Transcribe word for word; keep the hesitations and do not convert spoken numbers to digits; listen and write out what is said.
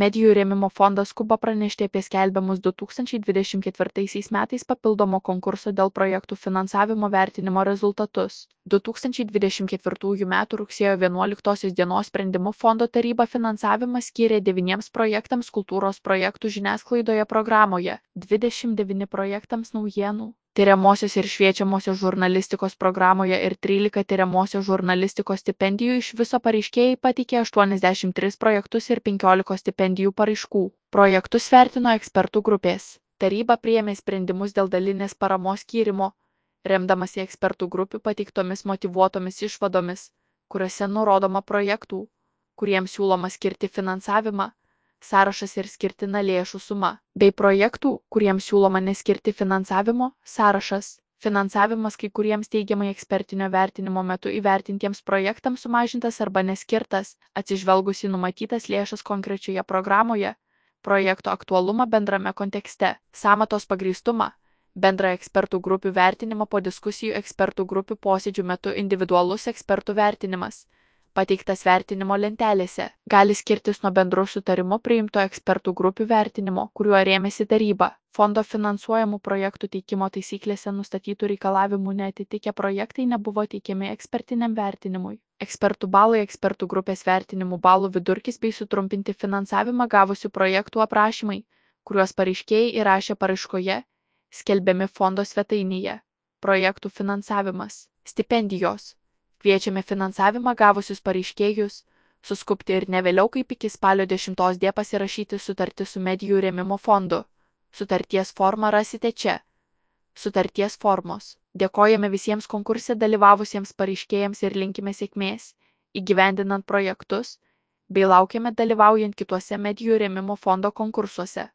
Medijų rėmimo fondas skuba pranešti apie skelbiamus du tūkstančiai dvidešimt ketvirtaisiais metais papildomo konkurso dėl projektų finansavimo vertinimo rezultatus. du tūkstančiai dvidešimt ketvirtųjų metų rugsėjo vienuoliktosios dienos sprendimu fondo taryba finansavimą skyrė devyniems projektams kultūros projektų žiniasklaidoje programoje, dvidešimt devyni projektams naujienų, tyriamosios ir šviečiamosios žurnalistikos programoje ir trylika tyriamosios žurnalistikos stipendijų. Iš viso pareiškėjai pateikė aštuoniasdešimt tris projektus ir penkiolika stipendijų paraiškų. Projektus vertino ekspertų grupės. Taryba priėmė sprendimus dėl dalinės paramos skyrimo, remdamasi ekspertų grupių pateiktomis motyvuotomis išvadomis, kuriuose nurodoma projektų, kuriems siūloma skirti finansavimą, sąrašas ir skirtina lėšų suma, bei projektų, kuriems siūloma neskirti finansavimo, sąrašas. Finansavimas kai kuriems teigiamai ekspertinio vertinimo metu įvertintiems projektams sumažintas arba neskirtas, atsižvelgus į numatytas lėšas konkrečioje programoje, projekto aktualumą bendrame kontekste, sąmatos pagrįstumą, bendrą ekspertų grupių vertinimą po diskusijų ekspertų grupių posėdžių metu individualus ekspertų vertinimas, pateiktas vertinimo lentelėse, gali skirtis nuo bendru sutarimu priimto ekspertų grupių vertinimo, kuriuo rėmėsi taryba. Fondo finansuojamų projektų teikimo taisyklėse nustatytų reikalavimų neatitikę projektai nebuvo teikiami ekspertiniam vertinimui. Ekspertų balai, ekspertų grupės vertinimų balų vidurkis bei sutrumpinti finansavimą gavusių projektų aprašymai, kuriuos pareiškėjai įrašė paraiškoje, skelbiami fondo svetainėje. Projektų finansavimas. Stipendijos. Kviečiame finansavimą gavusius pareiškėjus suskubti ir ne vėliau kaip iki spalio dešimtos dienos pasirašyti sutartį su Medijų rėmimo fondu. Sutarties formą rasite čia. Sutarties formos. Dėkojame visiems konkurse dalyvavusiems pareiškėjams ir linkime sėkmės, įgyvendinant projektus, bei laukiame dalyvaujant kituose Medijų rėmimo fondo konkursuose.